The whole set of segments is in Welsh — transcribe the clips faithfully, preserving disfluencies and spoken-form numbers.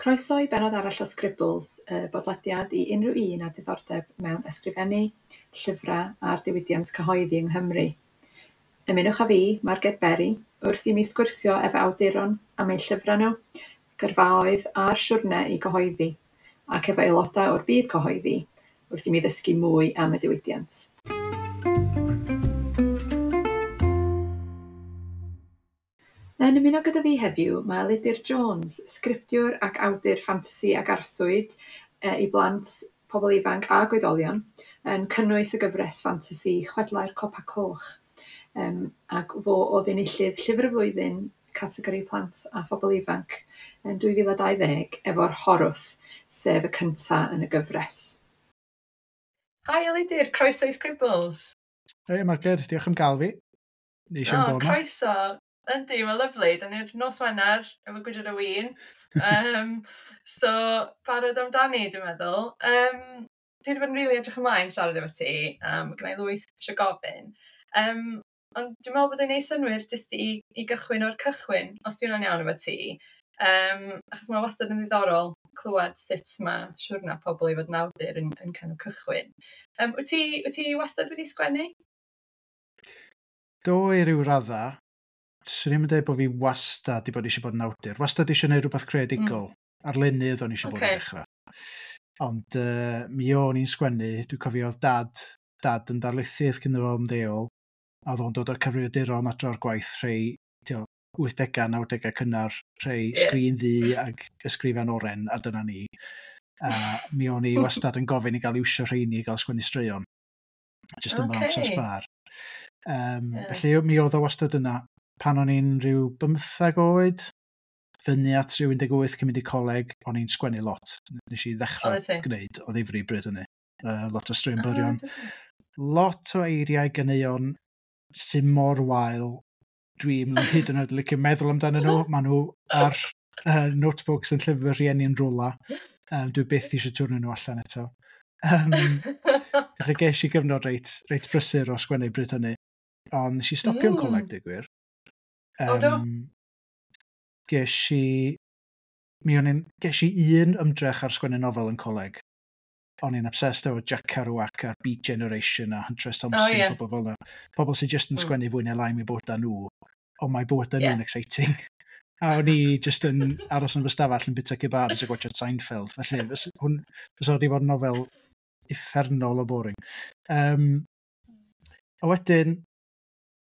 Croeso i bennod arall o Scribbles, y bodlediad i unrhyw un â diddordeb mewn ysgrifennu, llyfrau a'r diwydiant cyhoeddi yng Nghymru. Ymunwch â fi, Marged Berry, wrth i mi sgwrsio efo awduron am eu llyfrau nhw, gyrfaoedd a'r siwrne i gyhoeddi, ac efo aelodau o'r byd cyhoeddi, wrth i mi ddysgu mwy am y diwydiant. Yn ymuno gyda fi heddiw mae Elidir Jones, sgriptiwr ac awdur ffantasi ac arswyd e, i blant, pobl ifanc a oedolion, yn cynnwys y gyfres ffantasi Chwedlau'r Copa Coch. Um, ac fo oedd enillydd Llyfr y Flwyddyn categori plant a phobl ifanc yn dwy fil a dau ddeg efo'r Horwth, sef y cynta yn y gyfres. Hi Elidir, croeso i Scribbles. Hei Marged, diolch am gael fi. Neis iawn O, bod yma. Croeso. Yndi, mae'n lyfli. Da ni'r nos Wener efo gwydr o win. Um, so, barod amdani, dwi'n meddwl. Um, dwi wedi bod yn rili edrych ymlaen siarad efo ti. Um, mae gynna i lwyth eisiau gofyn. Um, ond dwi'n meddwl bod e'n neud synnwyr jyst i, i gychwyn o'r cychwyn, os di hwnna'n iawn efo ti. Um, achos mae wastad yn ddiddorol clywed sut mae siwrna pobl i fod yn awdur yn, yn kind of cychwyn. Um, wyt ti, wyt ti wastad wedi sgwennu? Do i ryw radda. Swn i'm yn dweud bod fi wastad 'di bod eisiau bod yn awdur. Wastad eisiau gwneud rhywbeth creadigol. Mm. Arlunydd o'n eisiau bod yn Ocê. dechrau. Ond uh, mi o'n i'n sgwennu, dwi'n cofio oedd dad, dad yn darlithydd cyn iddo fo ymddeol. A oedd o'n dod o'r cyfrifiaduron adre o'r gwaith rhai tio, wythdegau, nawdegau cynnar, rhai Ie. sgrin ddu ag ysgrifen oren, a dyna ni. A mi o'n i wastad yn gofyn i gael iwsio rheini i gael sgwennu straeon. Jyst yn fy amser Ocê. sbâr. Um, Ie. Felly mi oedd o wastad yna. Pan o'n i'n rhyw bymthag oed, fyny at rhyw un deg wyth cyn mynd i coleg, o'n i'n sgwennu lot. Nes i ddechrau Oeddet ti? gwneud o ddifri bryd hynny. Uh, lot o straeon Ah, byrion. Lot o eiriau ganeuon sy'n mor wael. Dwi'n hyd yn oed licio meddwl amdanyn nhw. Maen nhw ar uh, notebooks yn llyfr rhieni yn rwla. Um, dwi byth eisiau twrno nhw allan eto. Um, felly ges i gyfnod reit, reit brysur o sgwennu bryd hynny. Ond nes i stopio yn coleg, Mm. deud gwir. O, do? Um, ges i... Mi o'n i'n... Ges i un ymdrech ar sgwennu nofel yn coleg. O'n i'n obsessed efo Jack Kerouac a'r Beat Generation a Hunter S. O, Thompson, ie. pobl fel 'na. Pobl sy'n just yn Mm. sgwennu fwy neu lai am eu bywydau nhw, ond mae bywydau Ie. nhw'n exciting. A o'n i just yn aros yn fy stafell yn bwyta kebabs a gwatsiad Seinfeld. Felly, fys- hwn, fysa wedi bod yn nofel uffernol o boring. Um, a wedyn,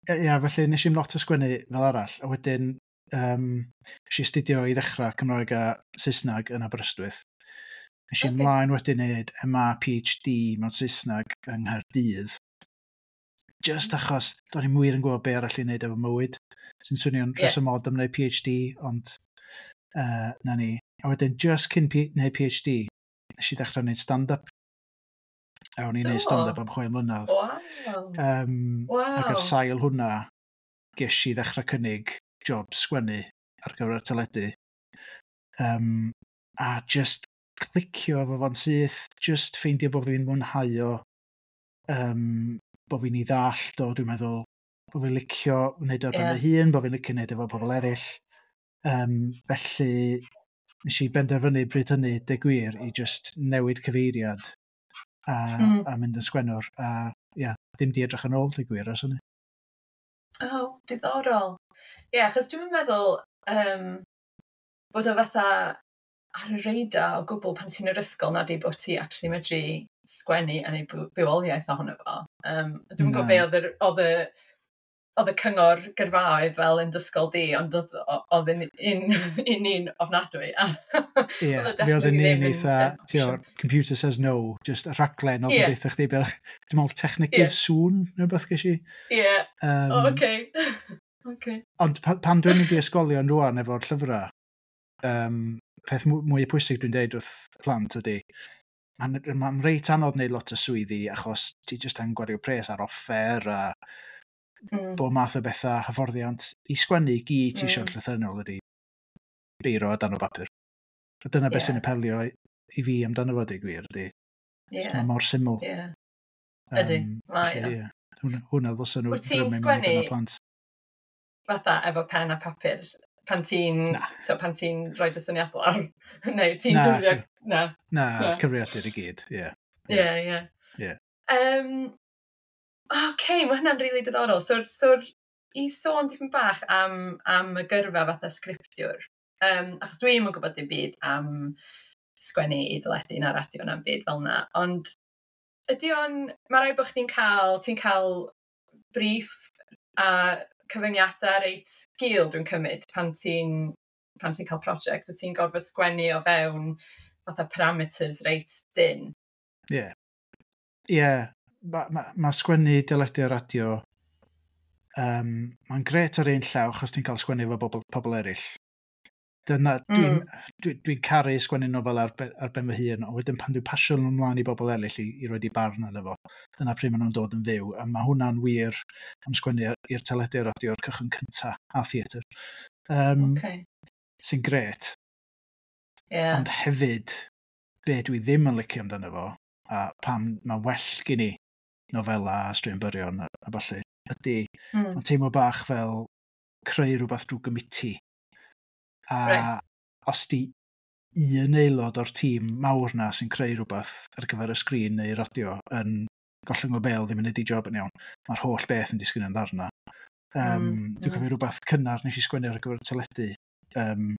ie, ia, felly nes i'm lot o sgwennu fel arall. A wedyn, um, nes i astudio i ddechrau Cymraeg a Saesneg yn Aberystwyth. Nes i Ocê. ymlaen wedyn wneud M A P H D mewn Saesneg yng Nghaerdydd. Just achos do'n i'm wir yn gwybod be arall i wneud efo mywyd. Sy'n swnio'n Ie. rheswm od am wneud P H D, ond uh, na ni. A wedyn, just cyn P wneud P H D, nes i ddechrau wneud stand-up. A o'n i'n wneud Do? stand-up am chwe mlynedd. Waw. Um, Ac ar Waw. sail hwnna, ges i ddechrau cynnig job sgwennu ar gyfer y teledu. Um, a just clicio efo fo'n syth, just ffeindio bod fi'n mwynhau o, um, bod fi'n ei ddallt o, dwi'n meddwl, bod fi'n licio wneud o ar ben Ie. fy hun, bod fi'n licio wneud efo pobl eraill. Um, felly, nes i benderfynu bryd hynny, deud gwir, i just newid cyfeiriad a, Mm. a mynd yn sgwennwr. A ia, ddim di edrych yn ôl, deud gwir, ers hynny. O, diddorol. Ie, achos dwi'm yn meddwl um, bod o fatha ar y radar o gwbl pan ti'n yr ysgol na di bod ti actually medru sgwennu a neud byw- bywoliaeth ohono fo. Um, dwi'm yn gwybod Na. be oedd yr, oedd y, oedd y cyngor gyrfaoedd fel yn dysgol di, ond oedd oedd yn un, un, un ofnadwy. Ie, Oedd o mi oedd definitely yn ddim un yn- eitha, yn ti o, opsiwn. computer says no, just y rhaglen oedd Ie. yn deutha chdi beth, dwi'n meddwl technegydd Ie. sŵn, neu beth ges i. Ie, Um, o, oce. Oce. Ond pa, pan dwi'n mynd i ysgolion rwan efo'r llyfrau, um, peth mw- mwy pwysig dwi'n deud wrth plant ydy, mae'n ma reit anodd wneud lot o swyddi achos ti jyst angen gwario pres ar offer a Mm. bob math o bethau, hyfforddiant. I sgwennu i gyd ti eisiau Mm. llythrennol ydy beiro a dan o bapur. A dyna beth Ie. sy'n apelio i, i fi amdano fo, deud gwir, ydy. Ie, Mae mor syml. ie. Ydy, mae felly, o. ie. Hwnna, hwnna ddylsen nhw Wyt ti'n ddrymu mewn i sgwennu gyda plant. Fatha efo pen a papur Pan ti'n, pan ti'n rhoi dy syniadau lawr? Neu ti'n defnyddio... Na. Na, na, cyfrifiadur i gyd, ie. Ie, ie. Ie. Um, OK, mae hynna'n rili really diddorol. So, so i sôn dipyn bach am, am y gyrfa fatha sgriptiwr, um, achos dwi'm yn gwybod dim byd am sgwennu i deledu na radio na'n byd fel na, ond ydy o'n... Mae rhaid bod chdi'n cael, ti'n cael brief a cyfyngiadau reit gul, dwi'n cymryd, pan ti'n pan ti'n cael prosiect, wyt ti'n gorfod sgwennu o fewn fatha parameters reit dynn. Ie. Yeah. Ie. Yeah. Mae ma, ma sgwennu deledu a radio, um, mae'n gret ar un llaw achos ti'n cael sgwennu efo bobl, pobl eraill. Dyna, dwi'n mm. dwi, dwi caru sgwennu nofel ar, ar ben fy hun, ond wedyn pan dwi'n pasio nhw ymlaen i bobl eraill i, i roid eu barn arno fo, dyna pryd maen nhw'n dod yn fyw, a mae hwnna'n wir am sgwennu i'r teledu a radio o'r cychwyn cynta a theatr. Um, okay. Sy'n gret. Yeah. Ond hefyd, be dwi ddim yn licio amdano fo, a pam mae well gen i nofela a straeon byrion a, a ballu, ydy, mm. mae'n teimlo bach fel creu rhywbeth drwy gomiti. A right. os di un aelod o'r tîm mawr na sy'n creu rhywbeth ar gyfer y sgrin neu radio yn gollwng o bêl ddim yn neud ei job yn iawn, mae'r holl beth yn disgyn yn ddarna. Um, mm, dwi'n cofio rhywbeth cynnar nes i sgwennu ar gyfer y teledu, um,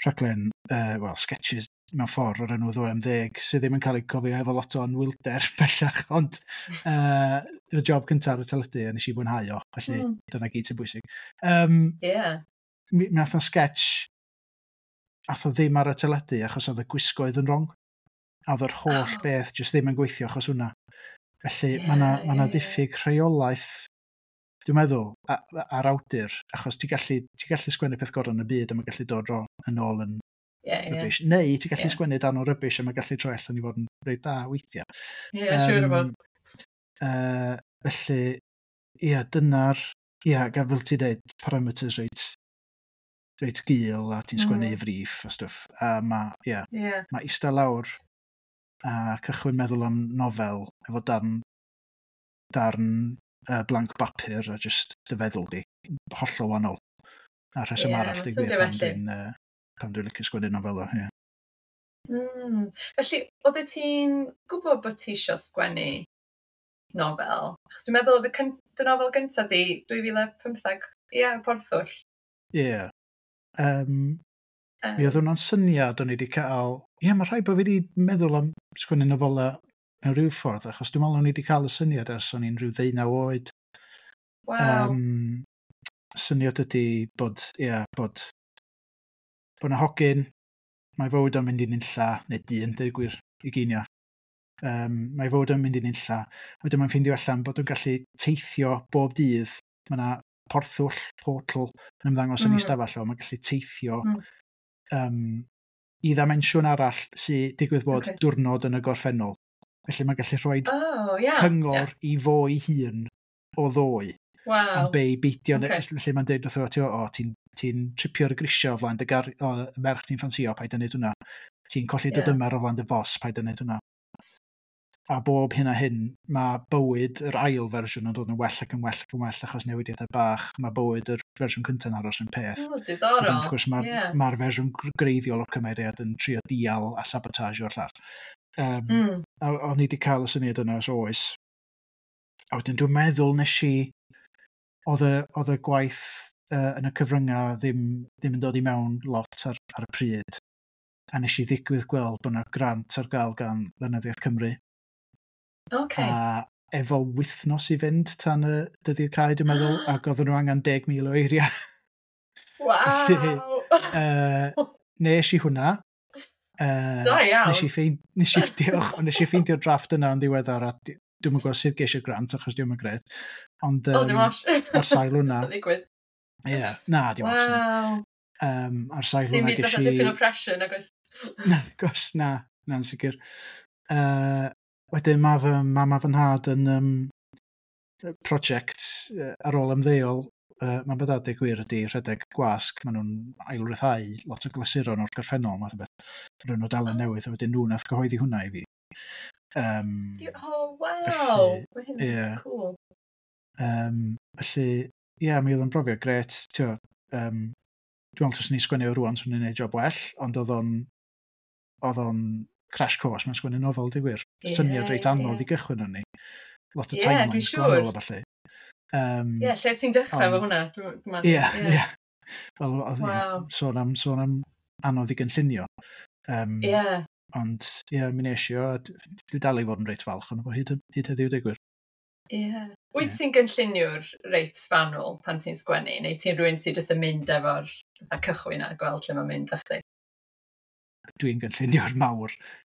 rhaglen, uh, well, sketches mewn ffordd o'r enw Ddoe am Ddeg, sydd ddim yn cael ei cofio efo lot o anwylder bellach, ond uh, y job cyntaf ar y teledu a nes i fwynhau o, felly Mm. dyna gyd sy'n bwysig. Um, Yeah. mi mi nath o sketch, ath o ddim ar y teledu achos oedd y gwisgoedd yn wrong. A oedd yr holl Oh. beth jyst ddim yn gweithio achos hwnna. Felly Ie, mae 'na ma' 'na ie, ie. ddiffyg rheolaeth, dwi'n meddwl, a- ar awdur, achos ti'n gallu, ti gallu sgwennu peth gorau yn y byd a mae'n gallu dod ro- yn ôl yn Ie, ie. rubbish. Neu ti'n gallu Ie. sgwennu dan o rubbish a mae'n gallu troi allan i fod yn reit da weithiau. Ie, siŵr o fod. Uh, felly, ia, dyna'r... Ia, gan fel ti'n dweud, parameters reit, reit gul a ti'n sgwennu Mm. i friff a stwff. A mae, ia, Ie. mae eistedd lawr a cychwyn meddwl am nofel efo darn, darn uh, blank bapur a just dy feddwl di, hollol wahanol. A rheswm Ie, arall, ma'n deud swnio gwir, pam felly. dwi'n uh, pam dwi'n licio sgwennu nofela, ie. Mm. Felly, oeddet ti'n gwybod bod ti isio sgwennu nofel? Achos dwi'n meddwl oedd y cyn- dy nofel gyntaf di dwy fil a pymtheg, ie, Porthwll. Ie. Um, Um, Mi oedd hwnna'n syniad o'n i wedi cael. Ie, mae rhaid bod fi wedi meddwl am sgwennu nofela mewn rhyw ffordd, achos dwi'n meddwl o'n i wedi cael y syniad ers o'n i'n rhyw ddeunaw oed. Waw. Um, syniad ydy bod, ie, bod, bod 'na hogyn, mae fywyd o'n mynd i nunlla, neu dyn, deud gwir, ugeinia. Um, mae fywyd o'n mynd i nunlla. Wedyn mae'n ffeindio allan bod o'n gallu teithio bob dydd. Mae yna porthwll, portal, yn ymddangos yn Mm. ei stafell o. Mae'n gallu teithio Mm. um, i ddimensiwn arall sy'n digwydd bod Ocê. diwrnod yn y gorffennol. Felly mae'n gallu rhoi Oh, ia. cyngor i fo ei hun o ddoe. Waw. Am be i beidio. Ocê. Okay. Felly mae'n deud wrtho fo, ti'n o, ti'n ti tripio ar y grisiau o flaen dy gar, o, y merch ti'n ffansio, paid â neud hwnna. Ti'n colli dy Ie. dymer o flaen dy fos, paid â neud hwnna. A bob hyn a hyn, mae bywyd yr ail fersiwn yn dod yn well ac yn well ac yn well achos newidiadau bach. Mae bywyd yr fersiwn cyntaf yn aros yn peth. O, Wedyn, diddorol. wrth gwrs, mae'r Ie. ma fersiwn gr- greiddiol o'r cymeriad yn trio dial a sabotage o'r llall. Um, Mm. A o'n i wedi cael y syniad yna os oes. A wedyn dwi'n meddwl nes i, oedd y, oedd y gwaith uh, yn y cyfryngau ddim, ddim yn dod i mewn lot ar, ar y pryd. A nes i ddigwydd gweld bod yna grant ar gael gan Lenyddiaeth Cymru. Ocê. A efo wythnos i fynd tan y dyddiad cau, dwi'n meddwl, ac oedden nhw angen deg mil o eiriau. Waw. Uh, nes i hwnna. Uh, Da iawn. Nes i ffeind, nes i, diolch, ond nes i ffeindio'r drafft yna yn ddiweddar a di- dwi'm yn gwybod sut ges i'r grant achos dwi'm yn gret. Ond O, dim um, ots. ar sail hwnna, Ddigwydd. ie, yeah, na, dim ots. Waw. Um, ar sail Dim hwnna byd ges fatha i... dipyn o pressure, nag oes? Na, wrth gwrs, na, na'n sicr. Uh, wedyn mae fy mam a fy nhad yn um, prosiect uh, ar ôl ymddeol. Uh, mae'n bod adeg gwir ydy rhedeg gwasg. Maen nhw'n ailryddhau lot o glasuron o'r gorffennol, math o beth. Rwy'n nhw dalen newydd, a wedyn nhw nath gyhoeddi hwnna i fi. Um, Oh, waw. Felly, Mae hyn yn ie. cool. Um, felly, ie, yeah, mi oedd o'n brofiad gret. Tio, um, Dwi'n meddwl taswn i'n sgwennu o rwan, swn i'n neud job well, ond oedd o'n oedd o'n crash course mewn sgwennu nofel, di gwir. Ie, Syniad reit anodd ie. i gychwyn arni. Lot o Ie, dwi'n timelines siŵr. gwahanol a ballu. Um, Ie, lle ti'n dechrau efo Ond- hwnna? Dwi'n- dwi'n Ie, meddwl, ie. Wel, oedd, ie, Waw. sôn am, sôn am anodd i gynllunio. Um, Ie. Ond, ie, mi nes i o, a d- dwi dal i fod yn reit falch ond fo hyd, hyd heddiw, deud gwir. Ie. Wyt Ie. ti'n gynlluniwr reit fanwl pan ti'n sgwennu, neu ti'n rhywun sydd jyst yn mynd efo'r fatha cychwyn a gweld lle mae'n mynd â chdi? Dwi'n gynlluniwr mawr.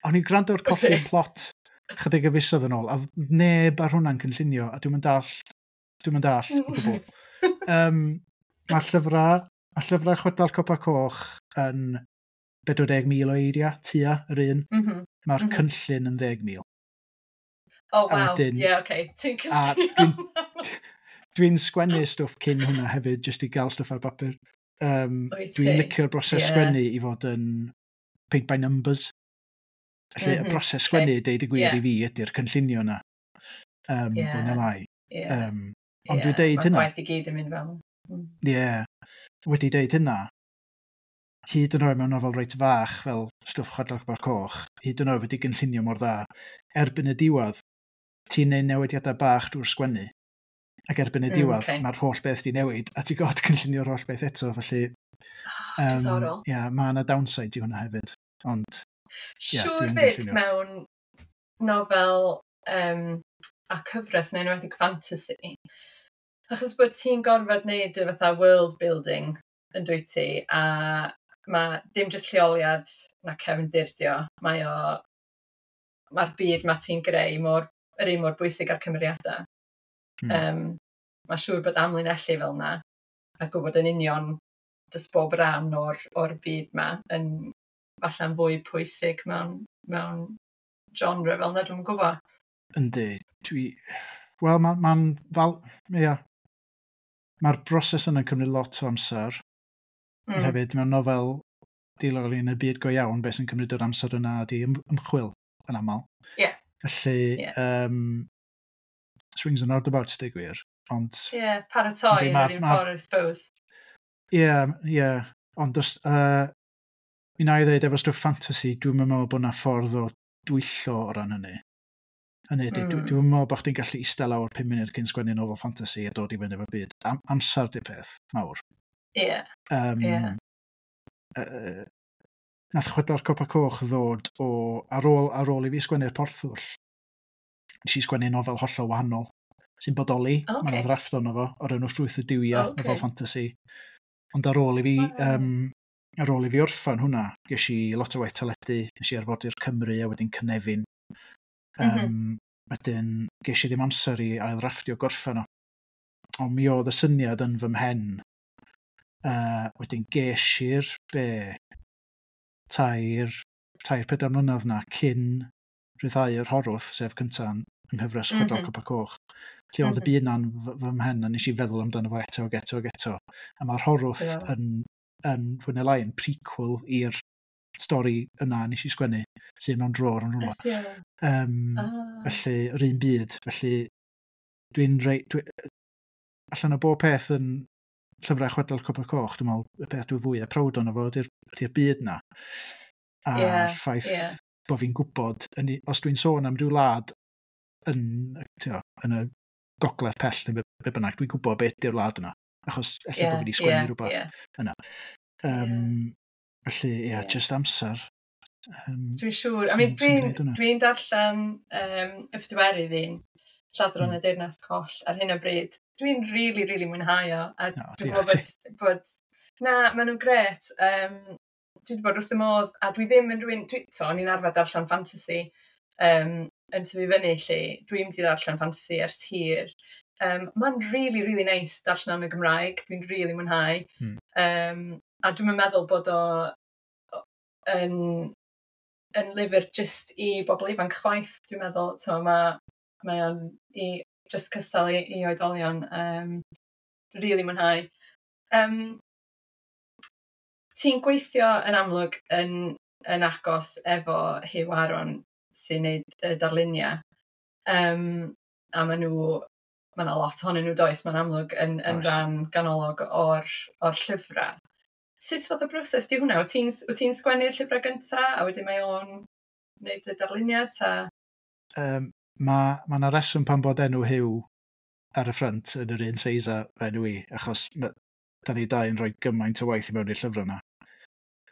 O'n i'n gwrando ar Wyt Colli'r ti? Plot chydig o fisoedd yn ôl, a oedd neb ar hwnna'n cynllunio, a dwi'm yn dallt, dwi'm yn dallt o gwbl. Um, mae llyfrau, mae llyfrau Chwedlau'r Copa Coch yn pedwar deg mil o eiriau, tua, yr un. Mhm. Mae'r Mhm. cynllun yn ddeg mil. Oh, A waw. wedyn- Ie, oce. Ti'n A cynllunio. Dwi'n sgwennu stwff cyn hwnna hefyd, jyst i gael stwff ar bapur. Um, Wyt dwi'n ti? licio'r broses Ie. sgwennu i fod yn paint by numbers. Felly, Mhm, y broses ocê. sgwennu, deud y gwir Ie. i fi, ydy'r cynllunio yna. Um, Ie. Fwy na lai. Ie. Um, ond Ie, dwi'n deud ma'r hynna. gwaith i gyd yn mynd fel. Mm. Ie. Yeah. Wedi deud hynna, hyd yn oed mewn nofel reit fach fel stwff Chwedlau'r Copa Coch, hyd yn oed wedi gynllunio mor dda, erbyn y diwedd, ti'n neud newidiadau bach drwy'r sgwennu, ac erbyn y Mm, diwedd, ocê. mae'r holl beth di newid, a ti'n gorfod cynllunio'r holl beth eto, felly Oh, um, diddorol. yeah, mae yna downside i hwnna hefyd. Ond, ie, Siŵr dwi'n fyd gynllunio. mewn nofel um, a cyfres yn enwedig fantasy, achos bod ti'n gorfod wneud y fatha world building yn dwyt ti, a mae dim jyst lleoliad na cefndir 'di o, mae o, mae'r byd ma ti'n greu mor, yr un mor bwysig â'r cymeriadau. Mm. Um, Mae'n siŵr bod amlinellu fel 'na, a gwybod yn union jyst bob rhan o'r, o'r byd ma yn falle'n fwy pwysig mewn, mewn genre fel 'na, dwi'm yn gwybod. Yndi, dwi... Wel, mae'n ma fel... Ia. Mae'r broses yna'n cymryd lot o amser. Mm. Mm. Hefyd, mewn nofel dilyn yn y byd go iawn, beth sy'n cymryd yr amser yna ydi ym- ymchwil yn aml. Ie. Felly, Ie. um, swings and roundabouts, deud gwir. Ond, Ie, yeah, paratoi Yndi, yn ma'r- yr un ma'r- ffordd, I suppose. ie, ie. Ond, os, uh, mi na i ddweud efo stwff fantasy, dwi'n meddwl bod yna ffordd o dwyllo o ran hynny. Hynny ydy, mm. Mm. dwi'n meddwl bod chdi'n gallu eistedd lawr pum munud cyn sgwennu nofel fantasy a dod i fyny efo byd. Am amser 'di'r peth mawr. Ie, Um, Ie. uh, nath Chwedlau'r Copa Coch ddod o, ar ôl, ar ôl i fi sgwennu'r Porthwll, nes i sgwennu nofel hollol wahanol sy'n bodoli. O, Mae yna ocê. ddrafft ono fo, o'r enw Ffrwyth y Duwiau, O, ocê. nofel fantasy. Ond ar ôl i fi, Waw. um, ar ôl i fi orffan hwnna, ges i lot o waith teledu, nes i Arfordir Cymru a wedyn Cynefin. Um, mm Mhm. Wedyn ges i ddim amser i ail-ddrafftio gorffan o. Ond mi oedd y syniad yn fy mhen. Uh, wedyn ges i'r be tair, tair pedair mlynedd na cyn rhyddhau yr Horwth, sef cynta yn yng nghyfres Chwedlau'r Mhm. Copa Coch. Lle oedd y Mhm. byd na'n fy, fy mhen a nes i feddwl amdano fo eto ac eto ac eto. A mae'r Horwth Diddorol. yn, yn fwy neu lai yn prequel i'r stori yna nes i sgwennu, sydd mewn drôr yn rhywle. Ydi o. Um, Ah. Felly, yr un byd. Felly, dwi'n rei... Dwi, allan o bob peth yn llyfrau Chwedlau'r Copa Coch, dwi'n meddwl, y peth dwi'n fwyaf proud ono fo ydy'r ydy'r byd na. A'r Ie, ffaith ie. bod fi'n gwybod, yn, i- os dwi'n sôn am ryw wlad yn, t'o, yn y gogledd pell neu be, be bynnag, dwi'n gwybod beth ydy'r wlad yna. Achos ella Ie, bod fi wedi sgwennu ie, rhywbeth ie. yna. Um, Felly, ie, yeah, Ie. just amser. Um, Dwi'n siŵr. I sy'n- mean, sy'n dwi'n gwneud hwnna. dwi darllen um, y pedwerydd un, Lladron Mm. y Deyrnas Coll, ar hyn o bryd. Dwi'n really, really mwynhau o. A O, dwi'n diolch gwybod bod, bod... Na, maen nhw'n gret. Um, dwi wedi bod wrth y modd, a dwi ddim yn rhywun... Dwi, to, o'n i'n arfer darllen fantasy um, yn tyfu fyny, lle dwi'n mynd i ddarllen fantasy ers hir. Um, Mae'n really, really nice darllen yn y Gymraeg. Dwi'n really mwynhau. Mm. Um, a dwi'n meddwl bod o yn, yn lyfr jyst i bobl ifanc chwaith, dwi'n meddwl. So, mae mae o'n i just cystal i, i oedolion. Um, really mwynhau. Um, ti'n gweithio yn amlwg yn, yn agos efo Huw Aaron sy'n neud y darluniau. Um, a maen nhw, mae yna lot ohonyn nhw does, mae'n amlwg yn, yn Oes. rhan ganolog o'r, o'r llyfrau. Sut fath o broses di hwnna? Wyt ti'n wyt ti'n sgwennu'r llyfrau gynta, a wedyn mae o'n gwneud y darluniau, ta? Um, Mae ma 'na reswm pan bod enw Huw ar y ffrynt yn yr un seis â fy enw i, achos ma- da ni dau yn rhoi gymaint o waith i mewn i'r llyfrau yna.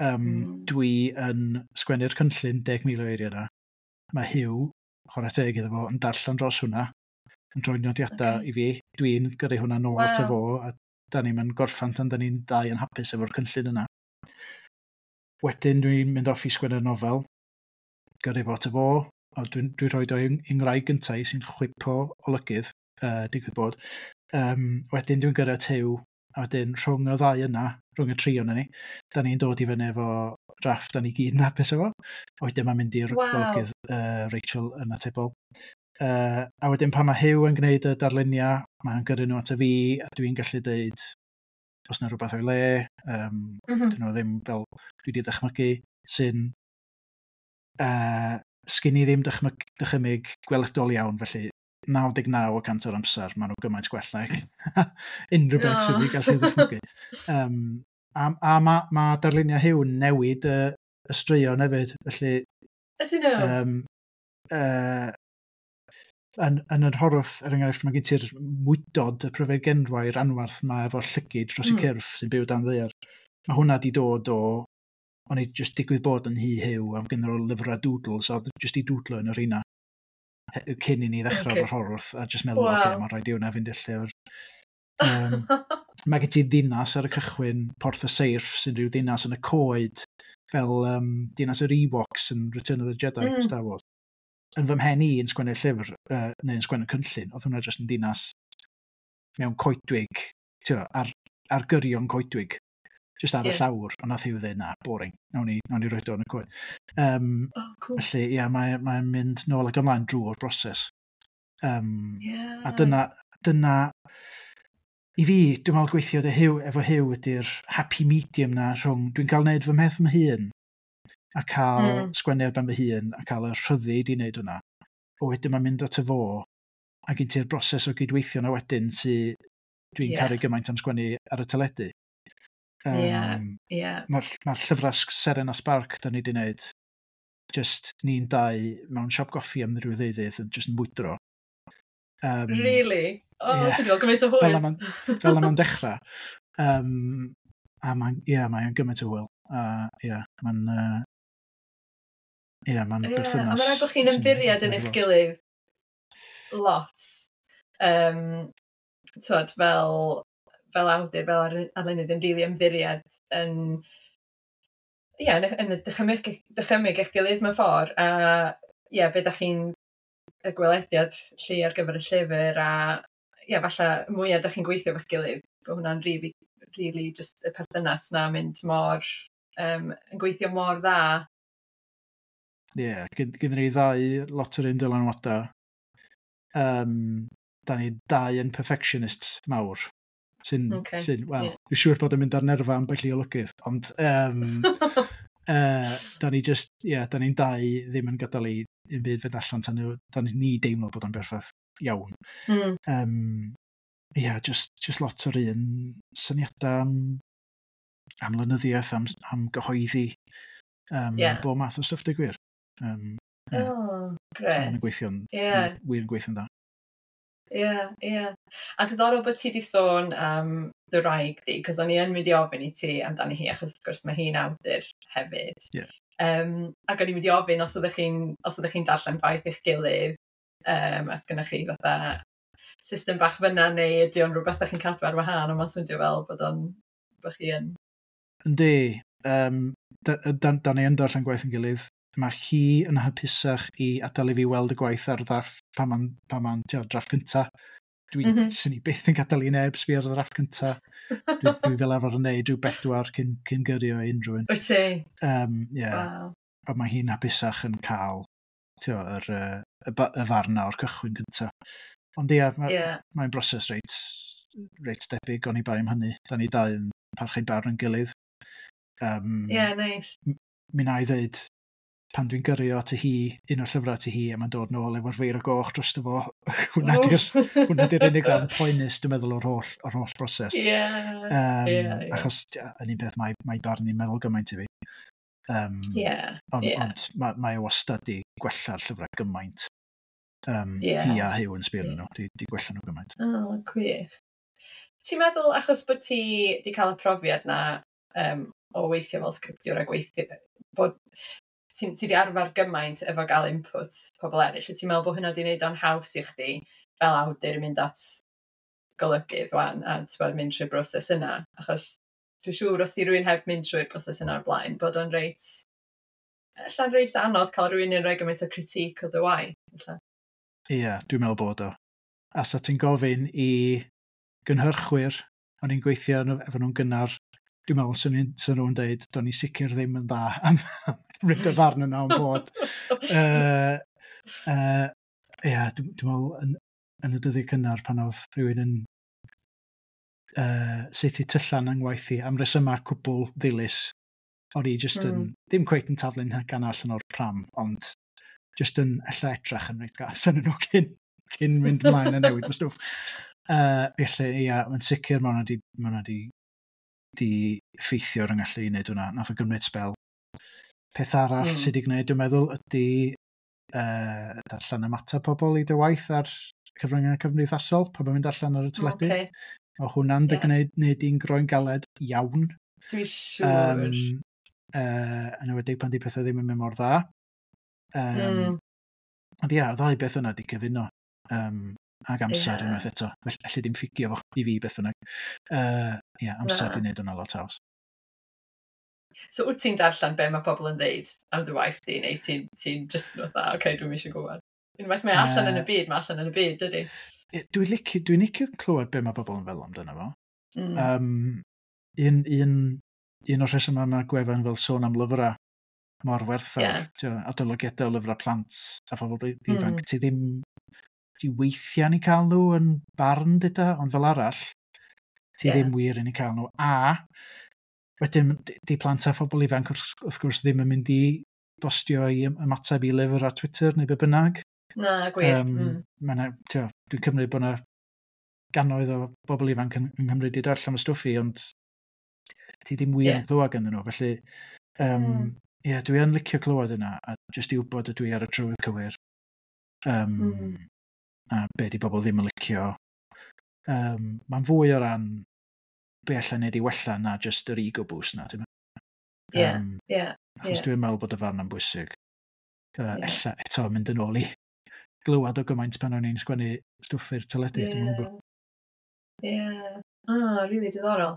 Um, mm. Dwi yn sgwennu'r cynllun deg mil o eiriau yna. Mae Huw, chwarae teg iddo fo, yn darllen dros hwnna, yn rhoi nodiadau okay. i fi. Dwi'n gyrru hwnna nôl wow. ato fo, a da ni'n mynd gorffan tan da ni'n dau yn hapus efo'r cynllun yna. Wedyn dwi'n mynd off i sgwennu'r nofel, gyrru fo ato fo, a dwi'n dwi rhoi o i'n ngwraig gyntaf sy'n chwipo olygydd, uh, digwydd bod. Um, wedyn dwi'n gyrru at Huw, a wedyn rhwng y ddau yna, rhwng y tri o'na ni, da ni'n dod i fyny efo drafft da ni gyd yn hapus efo. A wedyn mae'n mynd i'r wow. golygydd uh, Rachel yn atebol. Uh, a wedyn pan mae Huw yn gwneud y darluniau, mae'n gyrru nhw ato fi, a dwi'n gallu deud os yna rhywbeth o'i le, um, Mm -hmm. dyn nhw ddim fel dwi wedi dychmygu, sy'n uh, sgyn i ddim dychmyg, dychymyg gweledol iawn, felly naw deg naw y cant o'r amser maen nhw gymaint gwell na unrhyw beth sydd wedi gallu ddychmygu. Um, a a mae ma darluniau Huw yn newid y, y straeon hefyd, felly Ydyn nhw? Um, uh, yn, yn yr Horwth, er enghraifft, mae gen ti'r mwydod, y pryfed genwair anwarth ma efo llygid dros mm. Mm. y cyrff sy'n byw dan ddaear. Mae hwnna di dod o, o'n i just digwydd bod yn hi Huw am gynnu o lyfrau doodles, a oedd just i doodlo yn yr rheina cyn i ni ddechrau Ocê. o'r Horwth, a just meddwl, Wow. oce, okay, mae'n rhaid i hwnna fynd i'r llyfr. Um, mae gen ti ddinas ar y cychwyn, Porth y Seirff, sy'n rhyw ddinas yn y coed, fel um, dinas yr Ewoks yn Return of the Jedi, Mm. mm. Star Wars. Yn fy mhen i yn sgwennu'r llyfr, uh, neu yn sgwennu'r cynllun, oedd hwnna jyst yn dinas mewn coedwig, ti'n ar, ar gyrion coedwig, just ar Ie. y llawr, ond nath Huw ddweud, "Na, boring, nawn ni, nawn ni roed o yn y coed." Um, Oh, cool. felly, ie, mae'n mae mynd nôl ac ymlaen drwy'r broses. Um, Yeah. A dyna, dyna, i fi, dwi'n meddwl gweithio dy Huw, efo Huw ydy'r happy medium na rhwng, dwi'n cael neud fy mheth fy hun, a cael Mm. mm. sgwennu ar ben fy hun, a cael y rhyddid i wneud hwnna. O wedyn mae'n mynd at y fo, a gen ti'r broses o gydweithio na wedyn sy dwi'n Ie. yeah. caru gymaint am sgwennu ar y teledu. Um, Ie. Ie. Mae'r ma llyfrau Seren a Spark da ni wedi wneud, just ni'n dau mewn siop goffi am ryw ddeuddydd yn just yn mwydro. Um, Really? Oh, ie. ti'n gweld gymaint o Fel hwyl. na ma'n fel na ma'n dechrau. Um, a mae'n, ie, yeah, mae'n gymaint o hwyl. A ie, yeah, mae'n, uh, ie, yeah, mae'n Ie, berthynas. a mae'n rhaid bod chi'n sy'n ymddiried yn eich lot. gilydd lot. Um, twod, fel, fel awdur, fel ar- arlunydd yn rili ymddiried yn, ie, yn, y- yn y dychymyg, dychymyg eich gilydd mewn ffordd. A ie, be dach chi'n y gwelediad lle ar gyfer y llyfr a ie, falle mwyaf dach chi'n gweithio efo'ch gilydd, bod hwnna'n really, really just y perthynas na mynd mor, um, yn gweithio mor dda. Ie, yeah, gyda ni ddau lot o'r un dylanwadau. Um, da ni dau yn perfectionist mawr. Sy'n, Ocê, sy'n wel, ie. dwi'n siŵr bod yn mynd ar nerfa ambell i olygydd, ond um, uh, da ni just, ie, yeah, da ni'n dau ddim yn gadael i un byd fynd allan tan, nhw- tan ni deimlo bod o'n berffaith iawn. Mm. Um, ie, yeah, just, just lot o'r un syniadau am, am lenyddiaeth, am, am gyhoeddi, um, Ie. bob math o stwff, deud gwir. Um, Ie. Oh, so Mae'n grêt. gweithio'n, Ie. wir yn gweithio'n dda. Ie, ie. A diddorol bod ti 'di sôn am dy wraig di, cos o'n i yn mynd i ofyn i ti amdani hi, achos wrth gwrs mae hi'n awdur hefyd. Ie. Um, ac o'n i'n mynd i ofyn os ydych chi'n os ydych chi'n darllen gwaith eich gilydd, um, os gennych chi fatha system bach fyna, neu ydy o'n rhywbeth ydych chi'n cadw ar wahân, ond mae'n swnio fel bod o'n bod chi yn. Yndi, um, da, da, da ni yn darllen gwaith yn gilydd. Mae hi yn hapusach i adael i fi weld y gwaith ar ddrafft pan ma'n, pan ma'n tio, drafft cynta. Dwi, mm Mhm. -hmm. Swn i byth yn gadael i neb sbio ar y ddrafft cynta. Dwi, dwi fel arfer yn neud rhyw bedwar cyn, cyn gyrru o unrhyw un. Wyt ti? Um, yeah. Waw. A mae hi'n hapusach yn cael tio, yr, yy, y, ba- y farn na o'r cychwyn cynta. Ond ia, mae, Ie. mae'n broses reit, reit debyg, oni bai am hynny. Da ni dau yn parchu barn yn gilydd. Um, Ie, neis. Mi na i ddeud, Pan dwi'n gyrru o ati hi, un o'r llyfrau ati hi, a mae'n dod nôl efo'r feiro goch drosto fo, hwnna di'r hwnna di'r unig ran poenus, dwi'n meddwl, o'r holl, o'r holl broses. Yeah, um, yeah, yeah. Achos, ia, yn un peth, mae, mae barn i'n meddwl gymaint i fi. Um, yeah, ond yeah. Ond mae, mae o wastad di gwella'r llyfrau gymaint. Um, yeah. Hi a Huw yn sbio yeah. nhw, di, di gwella nhw gymaint. Oh, gwych. Ti'n meddwl, achos bod ti di cael y profiad na um, o weithio fel sgriptiwr a gweithio, bod ti, ti di arfer gymaint efo gael input pobl eraill, wyt ti'n meddwl bod hynna di wneud o'n haws i chdi fel awdur yn mynd at golygydd wan a ti'n mynd trwy'r broses yna? Achos dwi'n siŵr os ti rywun heb mynd trwy'r broses yna o'r blaen, bod o'n reit, ella'n reit anodd cael rhywun yn rhoi gymaint o critique o dy waith. Ie, yeah, dwi'n meddwl bod o. A sa ti'n gofyn i gynhyrchwyr, o'n i'n gweithio efo nhw'n gynnar, dwi'n meddwl swn nhw'n deud, do'n i sicr ddim yn dda am ryd y farn yna o'n bod. Uh, uh, yeah, dwi'n dwi meddwl yn, yn y dyddiau cynnar pan oedd rhywun yn uh, saethu tyllan yng ngwaith i am resymau cwbl ddilys. O'n i just yn, mm. ddim cweit yn taflu'n gan allan o'r pram, ond just yn ella edrach yn reit gas yn nhw cyn, cyn mynd ymlaen a newid fy stwff. Uh, felly, ia, mae'n sicr mae hwnna di, ma hwnna di, di effeithio ar yng ngallu i wneud hwnna. Nath o gymryd sbel. Peth arall mm. sydd wedi gwneud, dwi'n meddwl, ydy uh, darllen ymateb pobl i dy waith ar cyfryngau cymdeithasol, pan mae'n mynd allan ar y teledu. Okay. Mae hwnna'n dy Ie. gwneud, wneud i'n groen galed iawn. Dwi'n siŵr. Um, uh, yn enwedig pan di pethau ddim yn mynd mor dda. Um, Mm. Ond ia, y ddau beth yna di cyfuno. Um, ag amser Ie. unwaith eto. Felly, allu dim ffugio fo i fi beth bynnag. Uh, ia, amser Na. di wneud hwnna lot haws. So wyt ti'n darllen be mae pobl yn dweud am dy waith di, neu ti'n ti just fatha, oce, okay, dwi'm eisiau gwybod? Unwaith mae allan yn y Yy, byd, mae allan yn y byd, dydy? Ie, Dwi'n licio, dwi'n licio clywed be mae bobl yn fel amdano fo. Mm. Um, un, un, un o'r rhesymau mae gwefan fel Sôn am Lyfrau mor werthfawr, Ie. yeah. Adolygiadau o lyfrau plant a phobl ifanc, Mm. ti ddim, ti weithiau'n eu cael nhw yn barn dyda, ond fel arall, ti Ie. ddim wir yn eu cael nhw. A wedyn, di di plant a phobl ifanc wrth, wrth gwrs ddim yn mynd i bostio i ym- ymateb i lyfr ar Twitter neu be bynnag. Na, gwir. Um, Mm. ma' 'na, tio, dwi'n cymryd bod 'na gannoedd o bobl ifanc yn, yng Nghymru wedi darllen y stwff i, ond ti ddim wir Ie. yn clywed ganddyn nhw. Felly, um, Mm. ie, dwi yn licio clywed yna, a jyst i wybod ydw i ar y trywydd cywir. Um, Mm. A be di bobl ddim yn licio. Um, Mae'n fwy o ran be allai wneud i wella na jyst yr ego boost na, ti'n meddwl? Ie, Um, ie, Achos ie. dwi'n meddwl bod y farn yn bwysig. Uh, Ie. Ella eto mynd yn ôl i glywed o gymaint pan o'n i'n sgwennu stwff i'r teledu, dwi'n meddwl. Ie. Ie. Ah, really diddorol.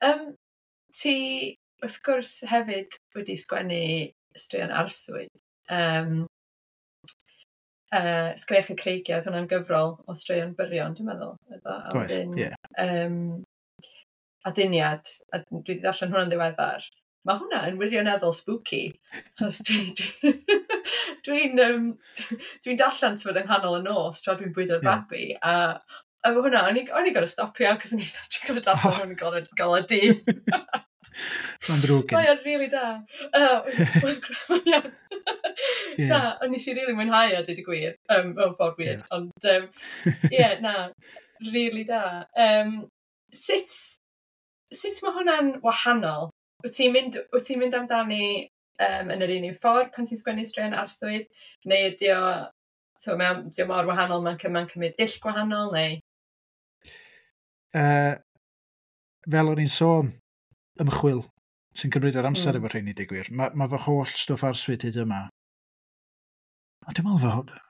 Um, ti, wrth gwrs, hefyd wedi sgwennu straeon arswyd. Um, uh, Sgrech y Creigiau, oedd hwnna'n gyfrol o straeon byrion, dwi'n meddwl. Efo, a Oedd, wedyn, ie. Um, Aduniad, a dwi wedi darllen hwnna'n ddiweddar. Mae hwnna yn wirioneddol spooky. Achos dwi'n dwi, dwi'n um, dwi'n darllen ti'n yng nghanol y nos tra dwi'n bwydo'r Ie. babi. A efo hwnna, o'n i o'n i gorfod stopio, cos o'n i'n gorfod darllen hwn yn golau golau dydd. Mae'n ddrwg gen i. Mae o'n really da. Uh, Mae'n iawn. Ie. Na, ond nes i really mwynhau o, dweud y gwir, um, mewn ffordd weird. Ond, um, ie, na, really da. Um, sut, sut mae hwnna'n wahanol? Wyt ti'n mynd, wyt ti'n mynd amdani um, yn yr un un ffordd pan ti'n sgwennu straeon arswyd? Neu ydy o, t'mo, mae o- ydy o mor wahanol, mae'n mae'n cymryd dull gwahanol, neu? Uh, fel o'n i'n sôn, ymchwil sy'n cymryd yr amser Mm. mm. efo rheini, deud gwir. Mae ma fy holl stwff arswyd hyd yma. A dwi'n meddwl fo,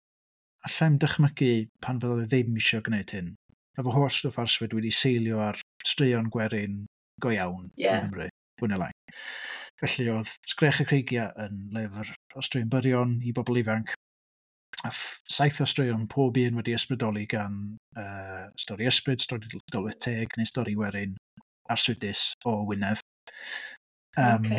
allai'm dychmygu pan fydda i ddim eisiau gwneud hyn. Mae fy holl stwff arswyd wedi seilio ar straeon gwerin go iawn Ie. yng Nghymru, fwy neu lai. Felly oedd Sgrech y Creigiau yn lyfr o straeon byrion i bobl ifanc. A ff- saith o straeon, pob un wedi ysbrydoli gan uh, stori ysbryd, stori dylwyth teg neu stori werin arswydus o Wynedd. Um, Ocê.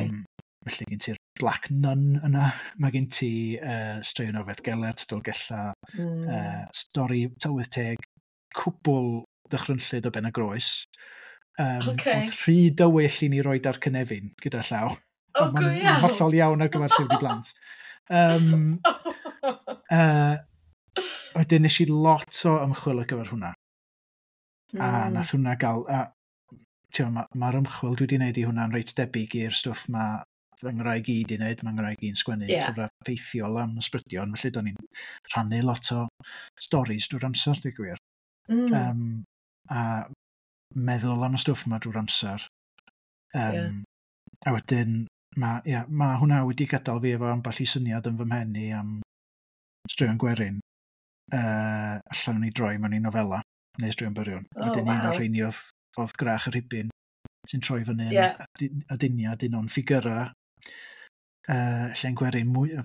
Felly gen ti'r Black Nun yna, mae gen ti uh, straeon o Feddgelert, Dolgella, Mm. uh, stori tylwyth teg, cwbl ddychrynllyd o Ben y Groes. Um, Ocê. Oedd rhy dywyll i ni roed ar cynefin gyda llaw. O, Ond go Mae'n iawn! hollol iawn ar gyfer llyfr i blant. Um, uh, wedyn nes i lot o ymchwil ar gyfer hwnna. Mm. A nath hwnna gael... A, mae'r ma, ymchwil dwi wedi gwneud i hwnna'n reit debyg i'r stwff mae fy ngwraig i wedi wneud. Mae ngwraig i'n sgwennu yeah. llyfrau ffeithiol am ysbrydion, felly do'n i'n rhannu lot o storis drwy'r amser, dwi'n gwir. Mm. Um, a meddwl am y stwff yma drwy'r amser. Um, yeah. A wedyn, mae yeah, ma hwnna wedi gadael fi efo ambell i syniad yn fy mhen i am straeon gwerin. Uh, allan o'n i droi mewn i nofela, neu straeon byrion. Oh, wedyn wow. Un o'r rheini oedd, oedd Gwrach y Rhibyn, sy'n troi fyny yeah. yn aduniad un o'n ffigurau uh, lle'n gwerin mwy,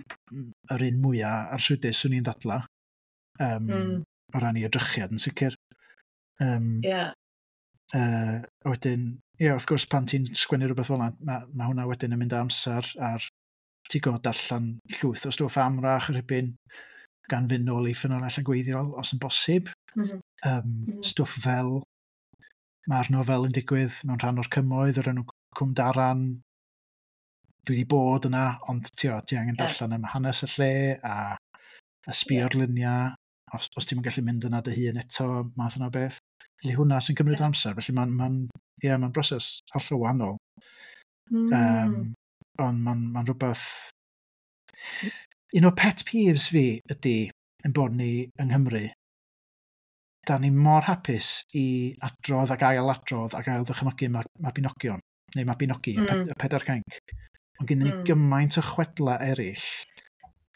yr un mwyaf arswydus swn i'n ddadla um, mm. o ran i edrychiad yn sicr. Um, yeah. Uh, wedyn, ie, yeah, wrth gwrs pan ti'n sgwennu rhywbeth fel yna, mae ma hwnna wedyn yn mynd â amser ar ti'n gwybod darllen llwyth o stwff am Wrach y Rhibyn gan fynd nôl i ffynonellau gweithiol os yn bosib. Mm -hmm. Um, mm -hmm. Stwff fel mae'r nofel yn digwydd mewn rhan o'r cymoedd o'r enw Cwm Daran. Dwi wedi bod yna, ond ti, o, ti angen yeah. darllen am hanes y lle a, a sbio'r yeah. luniau. Os, os ti'n gallu mynd yna dy hun eto, math yna o beth. Felly hwnna sy'n cymryd yeah. amser, felly mae'n ma yeah, ma broses hollol wahanol. Mm. Um, ond mae'n ma rhywbeth... Un o pet peeves fi ydy yn bod ni yng Nghymru, da ni mor hapus i adrodd ac ail adrodd ac ail ddychmygu Mabinogion, neu Mabinogi, mm. y, ped, y pedair cainc. Ond gen ni mm. gymaint o chwedla eraill,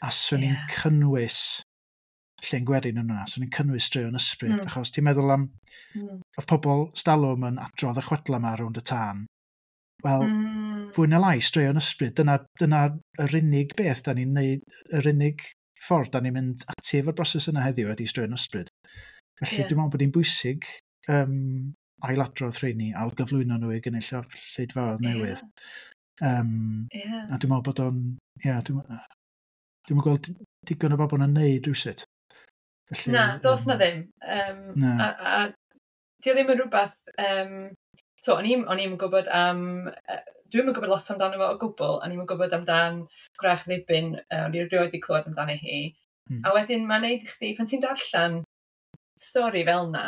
a swn i'n yeah. cynnwys lle'n gwerin yn yna, swn i'n cynnwys straeon ysbryd, mm. achos ti'n meddwl am, mm. oedd pobl stalwm yn adrodd y chwedla yma rownd y tân. Wel, mm. fwy na lai, straeon ysbryd, dyna, dyna yr unig beth da ni'n neud, yr unig ffordd da ni'n mynd ati efo'r broses yna heddiw ydy straeon ysbryd. Felly yeah. dwi'n meddwl bod hi'n bwysig um, ailadrodd rheini, ailgyflwyno nhw i gynulleidfaoedd newydd. Yeah. Um, yeah. A dwi'n meddwl bod o'n... Ie, yeah, dwi'n dwi'n gweld digon o bobl yn neud rhywsut. Felly, na, dos um, na ddim. Um, na. A, a di o ddim yn rhywbeth... Um, so, o'n i'm, o'n i'm yn gwybod am... Uh, dwi'm yn gwybod lot amdano fo o gwbl, o'n i'm yn gwybod amdan Gwrach Rhibyn, uh, o'n i erioed wedi clywed amdano hi. Mm. A wedyn mae'n neud i chdi, pan ti'n darllen stori fel na,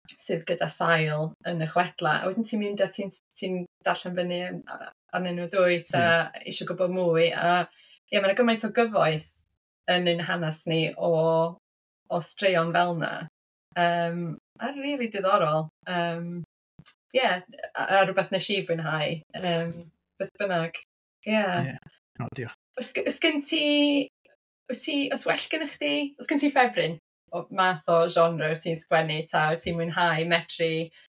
sydd gyda sail yn y chwedla, a wedyn ti'n mynd a ti'n ti darllen fyny arnyn nhw dwyt, a yeah. eisiau gwybod mwy, a ie, yeah, mae'n gymaint o gyfoeth yn ein hanes ni o, o straeon fel na. Um, a really diddorol. Um, yeah, a, a rhywbeth nes i fwynhau. Um, beth bynnag. Yeah. Yeah. No, diolch. Os, os gen ti, os ti, os well gen chdi, os gen ti ffefryn o math o genre wyt ti'n sgwennu, ta wyt ti'n mwynhau medru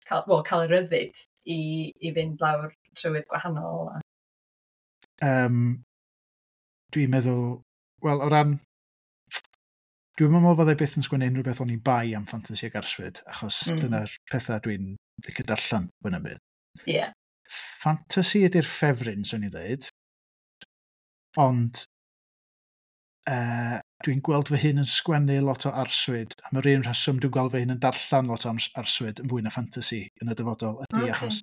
cael, well, cael y ryddid i, i fynd lawr trywydd gwahanol? A... Um, dwi'n meddwl, wel, o ran, dwi'n meddwl fydda i byth yn sgwennu unrhyw beth o'n i bai am ffantasi ag arswyd, achos Mm. dyna'r pethau dwi'n licio darllen fwy na byd. Yeah. Fantasy ydy'r ffefryn, swn i ddweud. Ond uh, dwi'n gweld fy hun yn sgwennu lot o arswyd. Am yr un rheswm dwi'n gweld fy hun yn darllen lot o arswyd yn fwy na fantasy yn y dyfodol ydy Okay. achos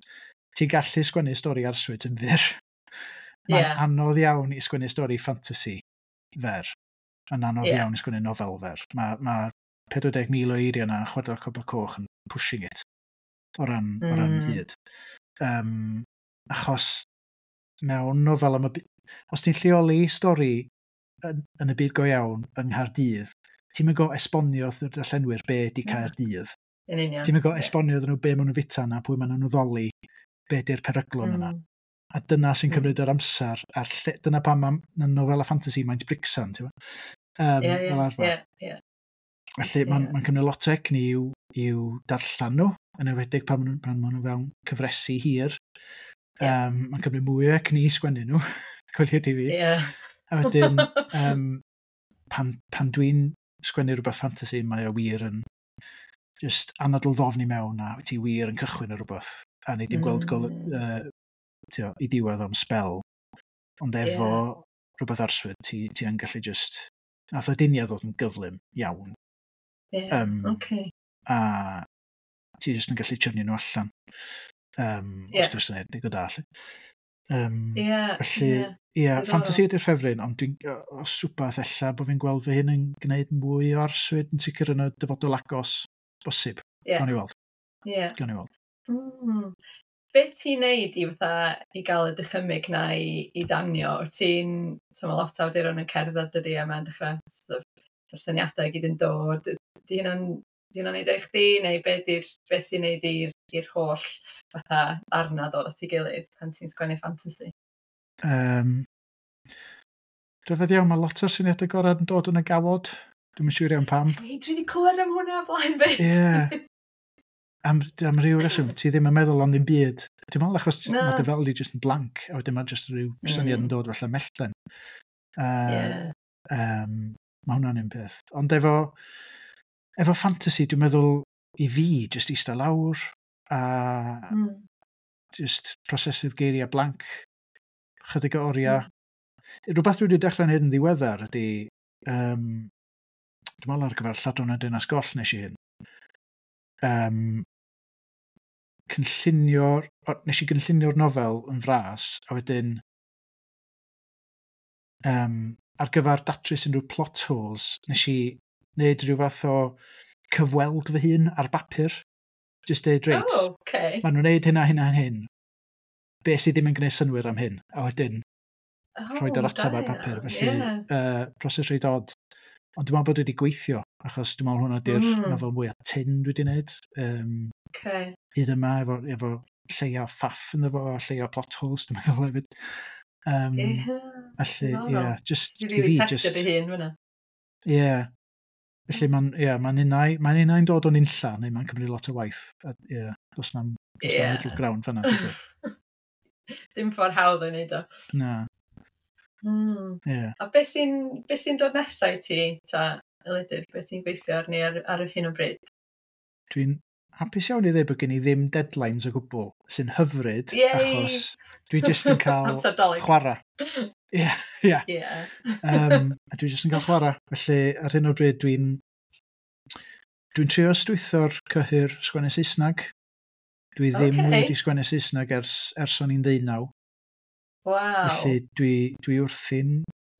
ti'n gallu sgwennu stori arswyd yn fyr. Mae'n Yeah. anodd iawn i sgwennu stori fantasy fer. Mae'n anodd Yeah. iawn i sgwennu nofel fer. Mae ma pedwar deg mil o eiriau yna, Chwedlau'r Copor Coch yn pushing it o ran, mm. o ran Mm. hyd. Um, achos mewn nofel am y... by- Os ti'n lleoli stori yn, yn y byd go iawn yng Nghaerdydd, ti'n mynd go esbonio wrth y darllenwyr be ydy Na. Caerdydd. Yn union. Ti'n mynd go Ie. esbonio iddyn nhw be maen nhw'n fita na, pwy maen nhw'n addoli, be ydy'r peryglon yna. Mm. A dyna sy'n Mm. cymryd yr amser. A'r lle, dyna pam mae nofel a fantasy maint bricsan, ti'n gwbod? Um, Ie, ie, fel arfer. ie, ie. Felly mae'n Ie. ma cymryd lot o egni i'w, i'w darllen nhw, yn enwedig pan maen nhw- pan maen nhw fewn cyfresi hir. Ie. Um, mae'n cymryd mwy o egni i sgwennu nhw, coeliad i fi. Ie. A wedyn, um, pan, pan dwi'n sgwennu rhywbeth fantasy, mae o wir yn just anadl ddofn i mewn a wyt ti wir yn cychwyn ar rhywbeth. A nei di'n gweld gol, Mm. uh, tio, i diwedd am spel. Ond efo Ie. rhywbeth arswyd, ti, ti yn gallu just... Nath y duniad ddod yn gyflym iawn. Ie. Um, Okay. A ti jyst yn gallu churnio nhw allan. Um, Ie. Os dwi'n syniad, digon da, lle. Um, yeah, felly, ie, yeah. yeah, fantasy ydy'r ffefryn, ond dwi'n, os rhywbeth ella bod fi'n gweld fy hun yn gwneud mwy o arswyd yn sicr yn y dyfodol agos bosib. Yeah. Gawn ni weld. Yeah. Gawn ni weld. Mm. Be ti'n neud i, fatha, i gael y dychymyg na i, i danio? Wyt ti'n, so mae lot o awduron yn cerdded dydy a mae'n dechrau sort of, mae'r syniadau i gyd yn dod. Di hynna'n di hynna'n neud o i chdi, neu be, di'r, be sy'n neud i'r i'r holl fatha arna dod at ei gilydd pan ti'n sgwennu fantasy? Um, Rhyfedd iawn, mae lot o'r syniadau gorau yn dod yn y gawod. Dwi'm yn siŵr iawn pam. Hei, dwi wedi clywed am hwnna o blaen fyd. Ie. Am, am ryw reswm, ti ddim yn meddwl am ddim byd. Dwi'n meddwl achos Na. mae dy fel di just yn blank, a wedyn mae just rhyw syniad Mm. yn dod fatha mellten. Uh, Ie. um, mae hwnna'n un peth. Ond efo, efo fantasy, dwi'n meddwl i fi, just eistedd lawr, a Mm. just prosesu'r geiriau blank, chydig o oriau. Rhywbeth dwi wedi dechrau'n hyn yn ddiweddar ydy, um, dwi'n meddwl ar gyfer Lladron y Dinas Goll nes i hyn. Um, cynllunio'r, o, nes i gynllunio'r nofel yn fras, a wedyn um, ar gyfer datrys unrhyw plot holes, nes i wneud rhyw fath o cyfweld fy hun ar bapur. Just deud, reit, Oh, okay. maen nhw'n neud hynna, hynna, hyn. Be sydd ddim yn gwneud synnwyr am hyn? A wedyn, Oh, rhoi yr ateb da ar bapur. iawn, Felly, ie. uh, proses reit od. Ond dwi'n meddwl bod wedi gweithio, achos dwi'n meddwl hwnna di'r Mm. nofel mwyaf tyn dwi wedi gwneud. Um, Okay. hyd yma, efo, efo lleia o ffaff ynddo fo, a lleia o plot holes, dwi'n meddwl hefyd. Um, Ie. Felly, ie, Diddorol. yeah, just, Ti i really fi, testio just, dy hun fyna. ie. Yeah. Felly mae'n, ie, mae'n unai, mae'n unai'n dod o'n unlla, neu mae'n cymryd lot o waith. A, ie, yeah, does na'm, does Ie. na'm middle ground fan'na, digwydd. Dim ffordd hawdd o'i wneud o. Na, Mm. ie. Yeah. A beth sy'n be sy'n dod nesaf i ti, ta, Elidir, beth ti'n gweithio arni ar, ar hyn o bryd? Dwi'n hapus iawn i ddweud bod gen i ddim deadlines o gwbl, sy'n hyfryd, Yay! achos dwi jyst yn cael Amser Dolig. chwarae. Ie, ie. Ie. Um, a dwi jyst yn cael chwarae. Felly, ar hyn o bryd, dwi'n dwi'n trio ystwytho'r cyhyr sgwennu Saesneg. Dwi ddim Ocê. okay. wedi sgwennu Saesneg ers, ers o'n i'n ddeunaw. Waw. Felly dwi, dwi wrthi'n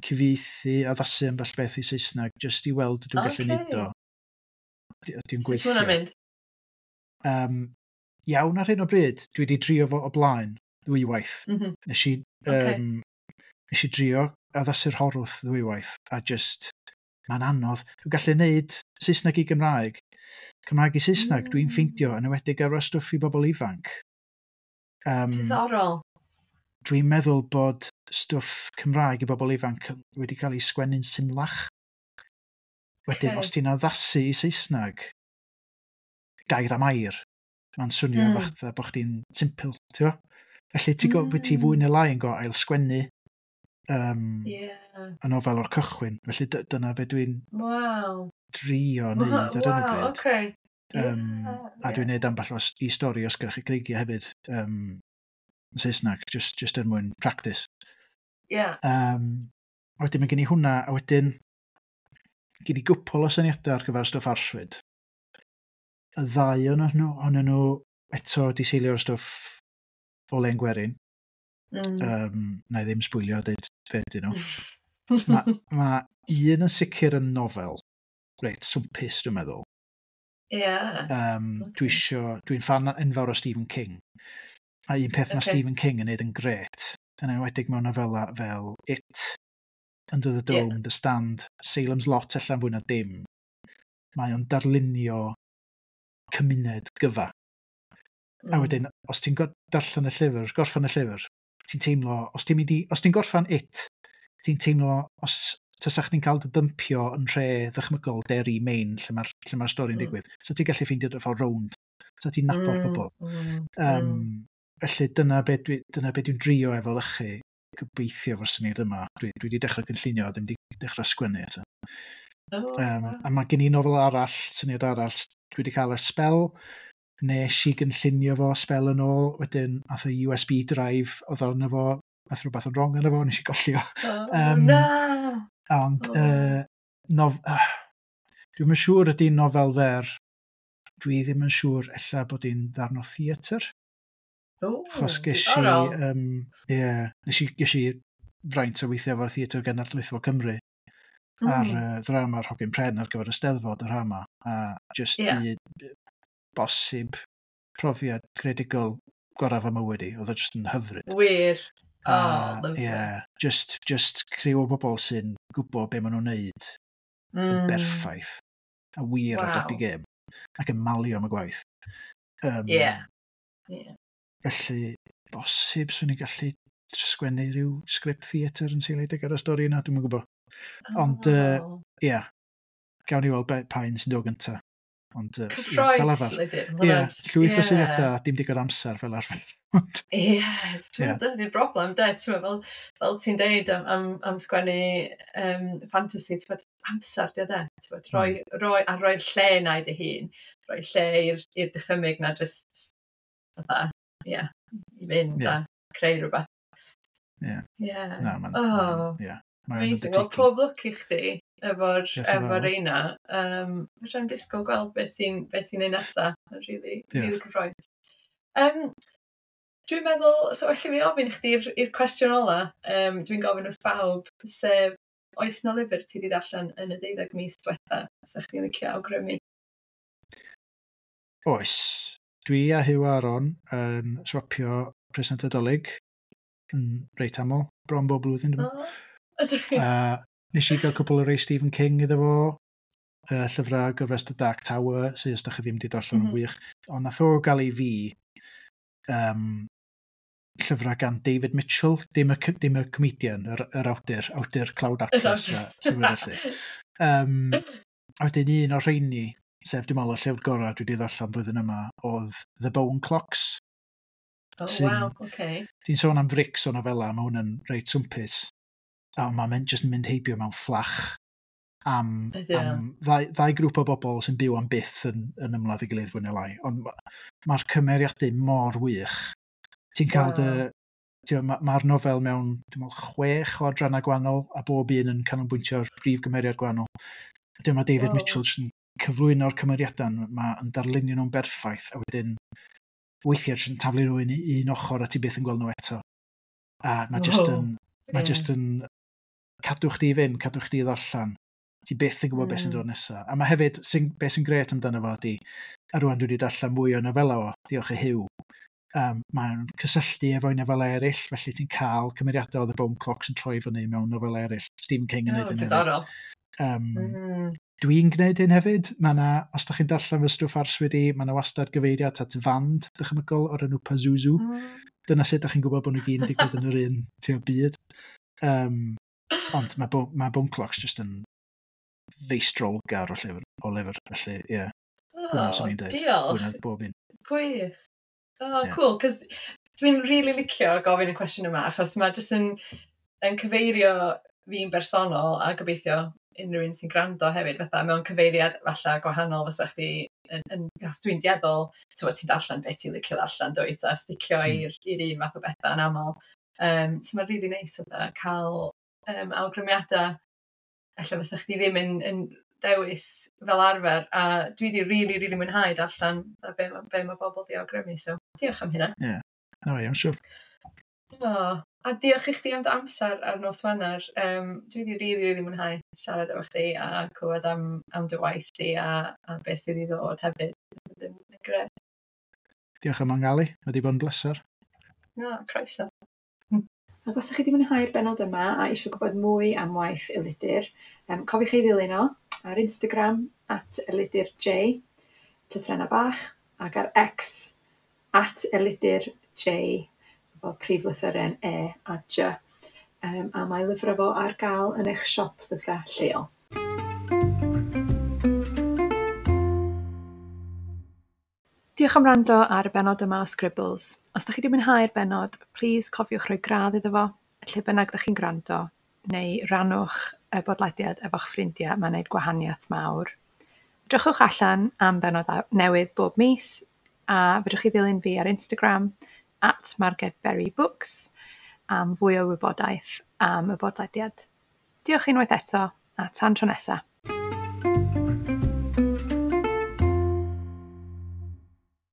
cyfieithu addasu ambell beth i Saesneg, jyst i weld ydw i'n gallu Ocê. neud o. Ydy- Ydy'n Sut gweithio. ma' hwnna'n mynd? Um, iawn ar hyn o bryd, dwi wedi drio fo o blaen ddwywaith. Mm -hmm. Nes i, Ocê. um, nes i drio addasu'r Horwth ddwywaith, a just, mae'n anodd. Dwi'n gallu neud Saesneg i Gymraeg. Cymraeg i Saesneg, dwi'n Mm. ffeindio, yn enwedig ar stwff i bobl ifanc. Um, Diddorol. Dwi'n meddwl bod stwff Cymraeg i bobl ifanc wedi cael ei sgwennu'n symlach. Wedyn, Ocê. os ti'n addasu i Saesneg, gair am air, mae'n swnio Mm. mm. fatha bod chdi'n simple, ti'n gwbo? Felly ti'n mm. Mm. ti fwy neu lai yn go ail sgwennu um, Ie. y nofel o'r cychwyn. Felly dy- dyna be dwi'n Waw. drio wneud ar hyn o Waw, bryd. oce. Um, a dwi'n neud ambell o s- i stori os gyda chi greigiau hefyd um, yn Saesneg, just, just er mwyn practice. Ie. Um, a wedyn mae gen i hwnna, a wedyn gen i gwpl o syniadau ar gyfer stwff arswyd. Y ddau o'n nhw, ohonyn nhw eto di seilio ar stwff o len gwerin. Mm. Um, na i ddim sbwylio a deud be ydyn nhw. Mae ma un yn sicr yn nofel, reit, swmpus dwi'n meddwl. Ie. Um, dwi Ocê. isio, dwi'n fan enfawr o Stephen King. A un peth mae Ocê. Stephen King yn neud yn gret, yn enwedig mewn nofela fel It, Under the Ie. Dome, The Stand, Salem's Lot allan fwy na dim. Mae o'n darlunio cymuned gyfa. A Mm. wedyn, os ti'n go- darllen y llyfr, gorffen y llyfr, ti'n teimlo, os ti'n mynd i, os ti'n gorffen It, ti'n teimlo, os tasach chdi'n cael dy dympio yn nhre ddychmygol Derry, Maine, lle mae'r lle mae'r stori'n Mm. digwydd, so ti'n gallu ffeindio dy ffordd rownd, so ti'n nabod Mm, pobl. mm, Um, mm. Felly dyna be, dwi, dyna be dwi'n drio efo lychu, gobeithio efo'r syniad yma. Dwi, dwi wedi dechrau cynllunio, ddim wedi dechrau sgwennu eto. Oh, Um, waw. a mae gen i nofel arall, syniad arall, dwi wedi cael ers sbel. Nes i gynllunio fo sbel yn ôl, wedyn ath y U S B drive oedd arno fo, ath rhywbeth yn wrong arno fo, nes i golli o. Oh, Um, na! Ond, Oh. uh, nof uh, dwi'm yn siŵr ydy nofel fer, dwi ddim yn siŵr ella bod hi'n ddarn o theatr. Achos ges i... Um, yeah, nes i, ges i fraint o weithio efo'r Theatr Genedlaethol Cymru mm. ar uh, ddrama'r Hogyn Pren ar gyfer y Steddfod yr hama. A just yeah. i bosib profiad creadigol gorau fy mywyd i. Oedd o just yn hyfryd. Wir. Oh, lovely. Yeah, just, just criw o bobl sy'n gwybod be maen nhw'n neud mm. yn berffaith. A wir wow. ar dop i gêm. Ac yn malio am y gwaith. Um, yeah. Yeah. Felly, bosib swn i'n gallu sgwennu rhyw sgript theatr yn seiliedig ar y stori yna, dwi'm yn gwybod. Ond, ie, oh. uh, yeah, gawn ni weld pa un sy'n dod gyntaf. Ond, uh, Cyffroes, fel arfer. Ie, llwyth o syniadau, dim digon amser fel arfer. Ie, yeah, dyna di'r broblem, de, ti'n fel, fel ti'n deud am, am, am sgwennu um, fantasy, ti'n bod, amser, de, de, ti'n bod, roi, mm. roi, a roi'r lle na i dy hun, roi lle i'r dychymyg na just, fatha, ie, yeah, i fynd yeah. a creu rhywbeth. Ie. Yeah. Na, mae'n... Oh. Yeah. Amazing. Wel, pob lwc i chdi efo'r efo reina. Um, Fedrai'm disgwyl gweld beth ti'n beth ti'n neud nesa. Really, really cyffrous. Um, dwi'n meddwl, so felly fi ofyn i chdi i'r cwestiwn ola, um, dwi'n gofyn wrth bawb, sef oes na lyfr ti wedi darllen yn y deuddeg mis diwetha, sa chdi'n licio awgrymu? Oes. Dwi a Huw Aaron yn swapio present Nadolig yn reit aml, bron bob blwyddyn, dwi'n meddwl. Oh, ydych chi? Uh, nes i gael cwpl o rei Stephen King iddo fo, uh, llyfrau gyfres The Dark Tower, sydd os da chi ddim wedi darllen mm -hmm. yn wych. Ond nath o gael ei fi um, llyfrau gan David Mitchell, dim y, dim y comedian, yr, yr awdur, awdur Cloud Atlas, a felly. Um, a wedyn un o'r rheini, sef dwi'n meddwl y llyfr gorau dwi wedi ddarllen blwyddyn yma, oedd The Bone Clocks. Oh, sy'n, wow, okay. Ti'n sôn am frics o nofela, mae hwn yn reit swmpus. A mae'n mynd, just yn mynd heibio mewn fflach am, am ddau, ddau grŵp o bobl sy'n byw am byth yn, yn ymladd i gilydd fwy neu lai. Ond mae'r ma cymeriadau mor wych. Ti'n cael wow. dy... Mae'r ma nofel mewn dwi'n meddwl, chwech o adrannau gwahanol, a bob un yn canolbwyntio ar brif gymeriad gwahanol. Wedyn mae David wow. Mitchell yn cyflwyno'r cymeriadau, mae'n darlunio nhw'n berffaith, a wedyn weithiau jyst yn taflu nhw i un ochr a ti byth yn gweld nhw eto. A mae just yn, mae yeah. just yn cadw chdi i fynd, cadw chdi i ddarllen. Ti byth yn gwybod mm. beth sy'n dod nesaf. A mae hefyd, sy'n, beth sy'n gret amdano fo ydi, a rwan dwi wedi darllen mwy o nofela o, diolch i Huw, um, mae'n cysylltu efo'i nofela eraill, felly ti'n cael cymeriadau o The Bone Clocks yn troi fyny mewn nofela eraill. Stephen King yn oh, neud hyn hefyd. Um, mm. Dwi'n gwneud hyn hefyd. Mae na, os da chi'n darllen fy stwff arswyd i, mae na wastad gyfeiriad at fand dychmygol o'r enw Pazuzu. Mm. Dyna sut da chi'n gwybod bod nhw gyd yn digwydd yn yr un ti'n byd. Um, ond mae, Bo mae Bone Clocks just yn feistrolgar o llyfr, o lyfr. Felly, ie. Yeah. Oh, swn i'n deud. Diolch. Hwna bob un. Gwych. Oh, yeah. Cool, cos dwi'n really licio gofyn y cwestiwn yma, achos mae jyst yn, yn cyfeirio fi'n bersonol a gobeithio unrhyw un sy'n gwrando hefyd, fatha mewn cyfeiriad falle gwahanol fysa chdi, yn, yn, achos dwi'n dueddol, ti'n ti'n darllen beth ti'n licio darllen, dwyt, a sticio mm. i'r i'r un fath o bethau yn aml. Um, so mae'n really neis fatha cael um, awgrymiadau ella fysa chdi ddim yn, yn dewis fel arfer, a dwi wedi really, really mwynhau darllen be, be mae bobl di awgrymu, so diolch am hynna. Ie, yeah. No, I'm sure. Oh, a diolch i chdi am dy amser ar nos Wener. Um, dwi wedi really, really mwynhau siarad efo chdi a clywed am, am dy waith di a, a beth sydd i ddod hefyd. Yn grêt. Diolch am angalu, mae wedi bod yn bleser. No, croeso. Ac os ydych chi wedi mwynhau'r bennod yma a eisiau gwybod mwy am waith Elidir, um, cofiwch ei ddilyn o ar Instagram at Elidir J, llythrennau bach, ac ar X at Elidir J, efo prif lythyren E a J. Um, a mae lyfrau fo ar gael yn eich siop lyfrau lleol. Diolch am wrando ar y bennod yma o Scribbles. Os ydych chi wedi mwynhau'r bennod, plis cofiwch rhoi gradd iddo fo, lle bynnag ydych chi'n gwrando, neu rannwch y bodlediad efo'ch ffrindiau, mae'n gwneud gwahaniaeth mawr. Drychwch allan am bennod newydd bob mis, a fedrwch chi ddilyn fi ar Instagram at Marged Berry Books am fwy o wybodaeth am y bodlediad. Diolch unwaith eto, a tan tro nesa.